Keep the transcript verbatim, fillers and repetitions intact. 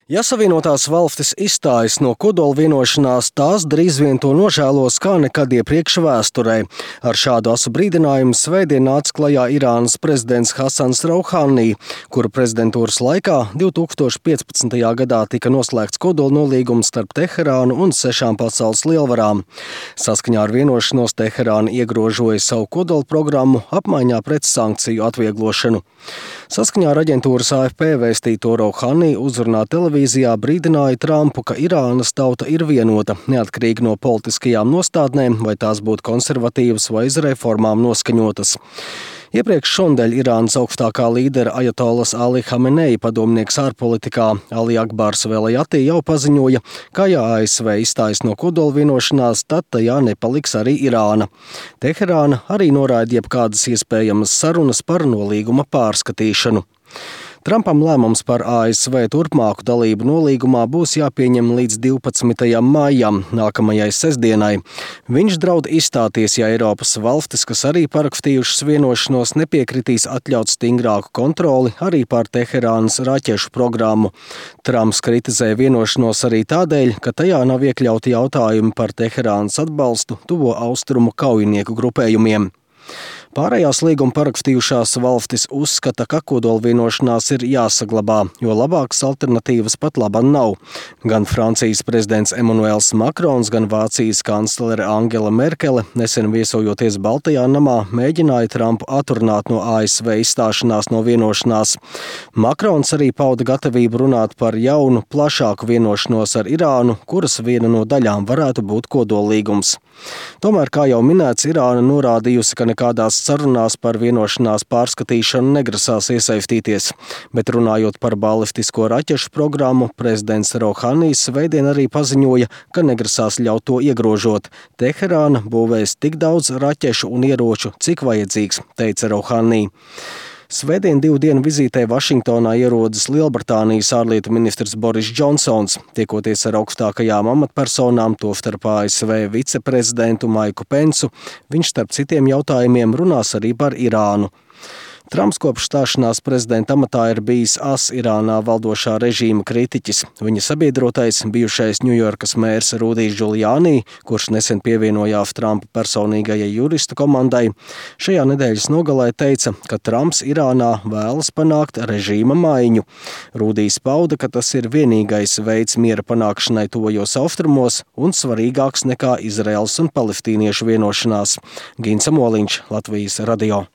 Ja Savienotās valstis izstājas no kodola vienošanās, tās drīz vien to nožēlos kā nekad iepriekš vēsturē. Ar šādu asu brīdinājumu svētdien nāca klajā Irānas prezidents Hasans Rouhani, kura prezidentūras laikā divi tūkstoši piecpadsmitajā gadā tika noslēgts kodola nolīgums starp Teherānu un sešām pasaules lielvarām. Saskaņā ar vienošanos Teherāna iegrožoja savu kodola programmu apmaiņā pret sankciju atvieglošanu. Saskaņā ar aģentūras A F P vēstīto Rouhani uzrunā televīzijā brīdināja Trumpu, ka Irānas tauta ir vienota, neatkarīgi no politiskajām nostādnēm, vai tās būtu konservatīvas vai uz reformām noskaņotas. Iepriekš šonadēļ Irānas augstākā līdera ajatolas Ali Hamenei padomnieks ārpolitikā Ali Akbars Velajati jau paziņoja, ka ja A S V izstājas no kodola vienošanās, tad tajā nepaliks arī Irāna. Teherāna arī noraida jebkādas iespējamas sarunas par nolīguma pārskatīšanu. Trumpam lēmums par A S V turpmāku dalību nolīgumā būs jāpieņem līdz divpadsmitajam maijam, nākamajai sestdienai. Viņš draud izstāties, ja Eiropas valstis, kas arī parakstījušas vienošanos, nepiekritīs atļaut stingrāku kontroli arī pār Teherānas raķešu programmu. Trumps kritizē vienošanos arī tādēļ, ka tajā nav iekļauti jautājumi par Teherānas atbalstu tuvo austrumu kaujinieku grupējumiem. Pārējās līguma parakstījušās valstis uzskata, ka kodola vienošanās ir jāsaglabā, jo labākas alternatīvas pat laban nav. Gan Francijas prezidents Emmanuels Makrons, gan Vācijas kanclere Angela Merkele, nesen viesojoties Baltajā namā, mēģināja Trumpu atrunāt no A S V izstāšanās no vienošanās. Makrons arī pauda gatavību runāt par jaunu, plašāku vienošanos ar Irānu, kuras viena no daļām varētu būt kodolīgums. Tomēr, kā jau minēts, Irāna norādījusi, ka nekādās sarunās par vienošanās pārskatīšanu negrasās iesaistīties, bet runājot par balistisko raķešu programmu, prezidents Rouhani svētdien arī paziņoja, ka negrasās ļaut to iegrožot. Teherāna būvēs tik daudz raķešu un ieroču, cik vajadzīgs, teica Rouhani. Svētdien divu dienu vizītē Vašingtonā ierodas Lielbritānijas ārlietu ministrs Boris Džonsons, tiekoties ar augstākajām amatpersonām, tostarp A S V viceprezidentu Maiku Pensu. Viņš starp citiem jautājumiem runās arī par Irānu. Trumps kopš stāšanās prezidenta amatā ir bijis as Irānā valdošā režīma kritiķis. Viņa sabiedrotais bijušais Ņujorkas mērs Rudijs Giuliani, kurš nesen pievienojās Trumpa personīgajai juristu komandai, šajā nedēļas nogalē teica, ka Trumps Irānā vēlas panākt režīma maiņu. Rudijs pauda, ka tas ir vienīgais veids miera panākšanai tuvajos austrumos un svarīgāks nekā Izraels un palestīniešu vienošanās. Gins Amoliņš, Latvijas radio.